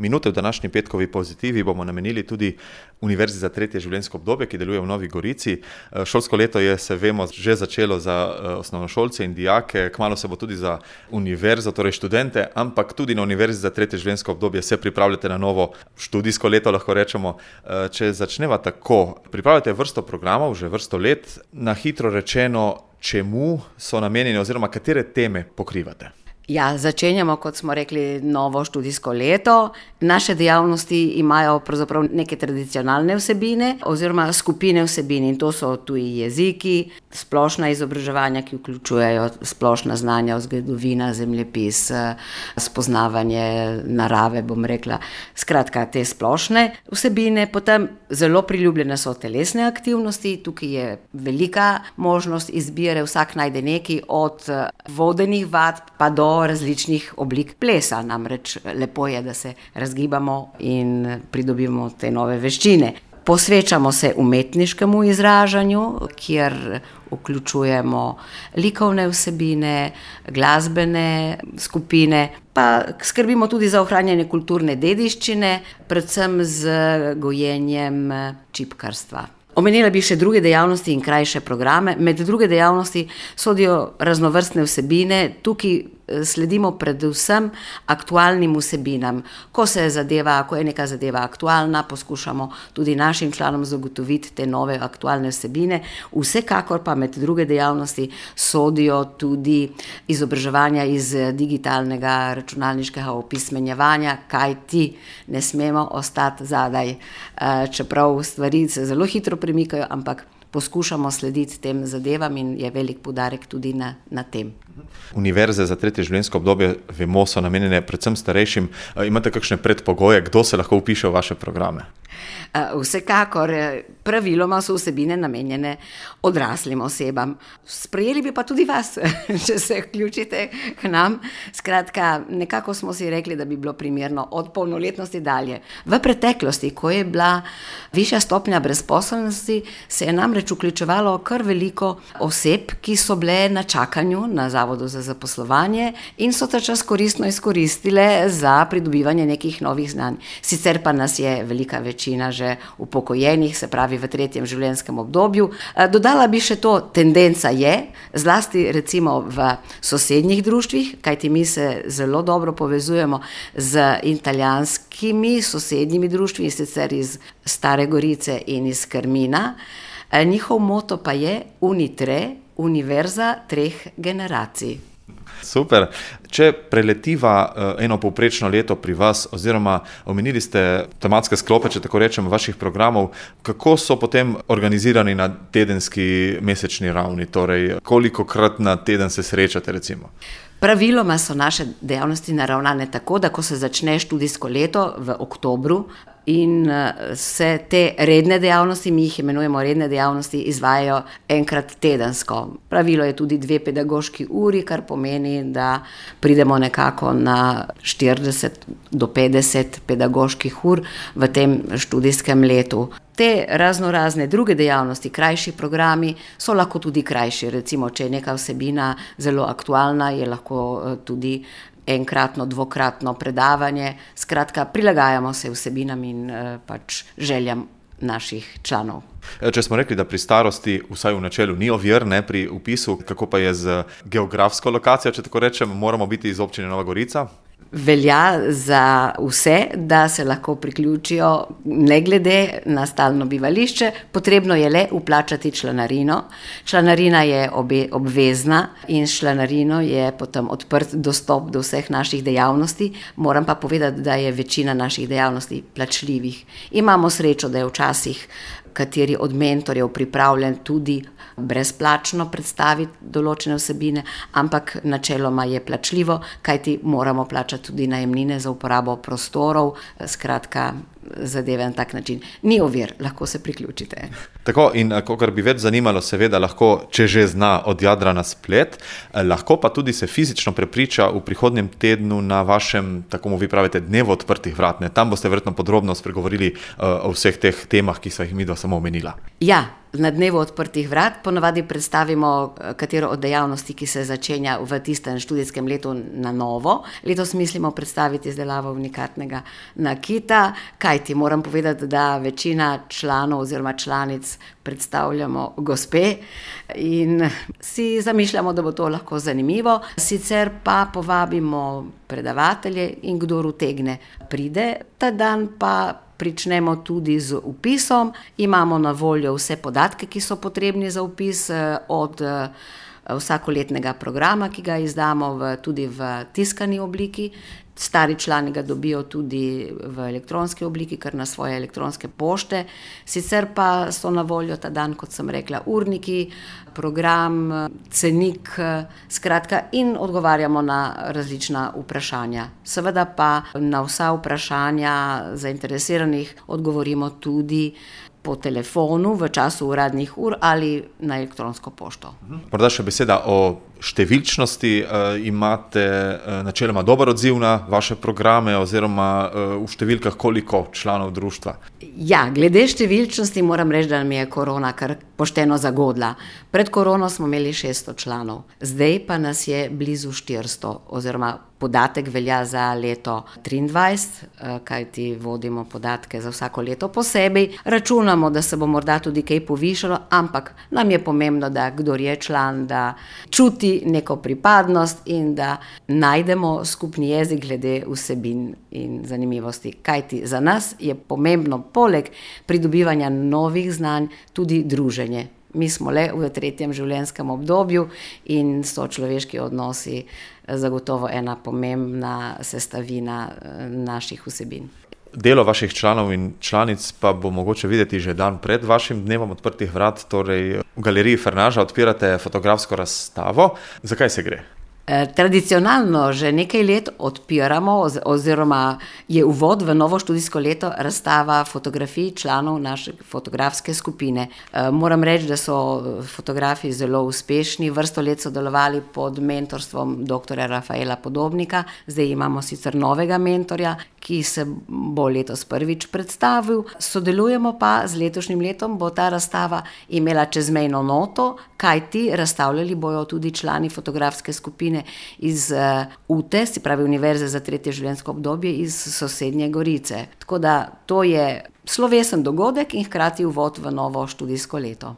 minute v današnji petkovi pozitivi bomo namenili tudi Univerzi za tretje življenjsko obdobje, ki deluje v Novi Gorici. Šolsko leto je, se vemo, že začelo za osnovnošolce in dijake, kmalu se bo tudi za univerzo, torej študente, ampak tudi na Univerzi za tretje življenjsko obdobje se pripravljate na novo študijsko leto, lahko rečemo. Če začneva tako, pripravljate vrsto programov, že vrsto let, na hitro rečeno, čemu so namenjeni oziroma katere teme pokrivate? Ja, začenjamo, kot smo rekli, novo študijsko leto. Naše dejavnosti imajo pravzaprav neke tradicionalne vsebine oziroma skupine vsebin in to so tuji jeziki, splošna izobraževanja, ki vključujejo splošna znanja, zgodovina, zemljepis, spoznavanje narave, bom rekla. Skratka, te splošne vsebine. Potem zelo priljubljene so telesne aktivnosti, tukaj je velika možnost izbire, vsak najde nekaj od vodenih vadb pa do različnih oblik plesa, namreč lepo je, da se razgibamo in pridobimo te nove veščine. Posvečamo se umetniškemu izražanju, kjer vključujemo likovne vsebine, glasbene skupine, pa skrbimo tudi za ohranjanje kulturne dediščine, predvsem z gojenjem čipkarstva. Omenila bi še druge dejavnosti in krajše programe. Med druge dejavnosti sodijo raznovrstne vsebine, tukaj sledimo predvsem aktualnim vsebinam. Ko je neka zadeva aktualna, poskušamo tudi našim članom zagotoviti te nove aktualne vsebine. Vsekakor pa med druge dejavnosti sodijo tudi izobraževanja iz digitalnega računalniškega opismenjevanja, kajti ne smemo ostati zadaj, čeprav stvari se zelo hitro premikajo, ampak poskušamo slediti tem zadevam in je velik poudarek tudi na tem. Univerze za tretje življenjsko obdobje, vemo, so namenjene predvsem starejšim. Imate kakšne predpogoje, kdo se lahko vpiše v vaše programe? Vsekakor, praviloma so vsebine namenjene odraslim osebam. Sprejeli bi pa tudi vas, če se vključite k nam. Skratka, nekako smo si rekli, da bi bilo primerno od polnoletnosti dalje. V preteklosti, ko je bila višja stopnja brezposelnosti, se je namreč vključevalo kar veliko oseb, ki so bile na čakanju na Zavodu za zaposlovanje in so ta čas koristno izkoristile za pridobivanje nekih novih znanj. Sicer pa nas je velika večina že upokojenih, se pravi v tretjem življenjskem obdobju. Dodala bi še to, tendenca je, zlasti recimo v sosednjih društvih, kajti mi se zelo dobro povezujemo z italijanskimi sosednjimi društvi, sicer iz Stare Gorice in iz Krmina. Njihov moto pa je Unitre, Univerza treh generacij. Super. Če preletiva eno povprečno leto pri vas, oziroma omenili ste tematske sklope, če tako rečem, vaših programov, kako so potem organizirani na tedenski, mesečni ravni? Torej, kolikokrat na teden se srečate, recimo? Praviloma so naše dejavnosti naravnane tako, da ko se začne študijsko leto v oktobru in se te redne dejavnosti, mi jih imenujemo redne dejavnosti, izvajajo enkrat tedensko. Pravilo je tudi 2 pedagoški uri, kar pomeni, da pridemo nekako na 40 do 50 pedagoških ur v tem študijskem letu. Te raznorazne druge dejavnosti, krajši programi, so lahko tudi krajši. Recimo, če je neka vsebina zelo aktualna, je lahko tudi enkratno, dvokratno predavanje. Skratka, prilagajamo se vsebinam in pač željam naših članov. Če smo rekli, da pri starosti, vsaj v načelu, ni ovir, ne, pri vpisu, kako pa je z geografsko lokacijo, če tako rečem, moramo biti iz občine Nova Gorica? Velja za vse, da se lahko priključijo ne glede na stalno bivališče. Potrebno je le vplačati članarino. Članarina je obvezna in s članarino je potem odprt dostop do vseh naših dejavnosti. Moram pa povedati, da je večina naših dejavnosti plačljivih. Imamo srečo, da je včasih kateri od mentorjev pripravljen tudi brezplačno predstaviti določene vsebine, ampak načeloma je plačljivo, kajti moramo plačati tudi najemnine za uporabo prostorov, skratka zadeve na tak način. Ni ovir, lahko se priključite. Tako, in kakor bi več zanimalo, seveda lahko, če že zna, od Jadra na splet, lahko pa tudi se fizično prepriča v prihodnjem tednu na vašem, tako mu vi pravite, dnevu odprtih vrat. Tam boste verjetno podrobno spregovorili o vseh teh temah, ki so jih midva samo omenila. Ja, Na dnevu odprtih vrat ponavadi predstavimo katero od dejavnosti, ki se začenja v tistem študijskem letu na novo. Letos mislimo predstaviti izdelavo unikatnega nakita, kajti moram povedati, da večina članov oziroma članic predstavljamo gospe in si zamišljamo, da bo to lahko zanimivo. Sicer pa povabimo predavatelje in kdor utegne pride. Ta dan pa pričnemo tudi z vpisom. Imamo na voljo vse podatke, ki so potrebni za vpis, od vsakoletnega programa, ki ga izdamo tudi v tiskani obliki. Stari člani ga dobijo tudi v elektronski obliki, kar na svoje elektronske pošte. Sicer pa so na voljo ta dan, kot sem rekla, urniki, program, cenik, skratka, in odgovarjamo na različna vprašanja. Seveda pa na vsa vprašanja zainteresiranih odgovorimo tudi po telefonu v času uradnih ur ali na elektronsko pošto. Morda še beseda o številčnosti. Imate načeloma dober odziv na vaše programe oziroma v številkah koliko članov društva? Ja, glede številčnosti moram reči, da nam je korona kar pošteno zagodla. Pred korono smo imeli 600 članov, zdaj pa nas je blizu 400, oziroma podatek velja za leto 2023, kajti vodimo podatke za vsako leto posebej. Računamo, da se bo morda tudi kaj povišalo, ampak nam je pomembno, da kdor je član, da čuti neko pripadnost in da najdemo skupni jezik glede vsebin in zanimivosti. Kajti za nas je pomembno poleg pridobivanja novih znanj tudi druženje. Mi smo le v 3. življenjskem obdobju in so človeški odnosi zagotovo ena pomembna sestavina naših vsebin. Delo vaših članov in članic pa bo mogoče videti že dan pred vašim dnevom odprtih vrat, torej v galeriji Fernaža odpirate fotografsko razstavo. Zakaj se gre? Tradicionalno že nekaj let odpiramo oziroma je uvod v novo študijsko leto razstava fotografij članov naše fotografske skupine. Moram reči, da so fotografi zelo uspešni, vrsto let sodelovali pod mentorstvom dr. Rafaela Podobnika, zdaj imamo sicer novega mentorja, ki se bo letos prvič predstavil. Sodelujemo pa z letošnjim letom, bo ta razstava imela čezmejno noto, kajti razstavljali bojo tudi člani fotografske skupine iz UTE, se pravi Univerze za 3. življenjsko obdobje iz sosednje Gorice. Tako da to je slovesen dogodek in hkrati uvod v novo študijsko leto.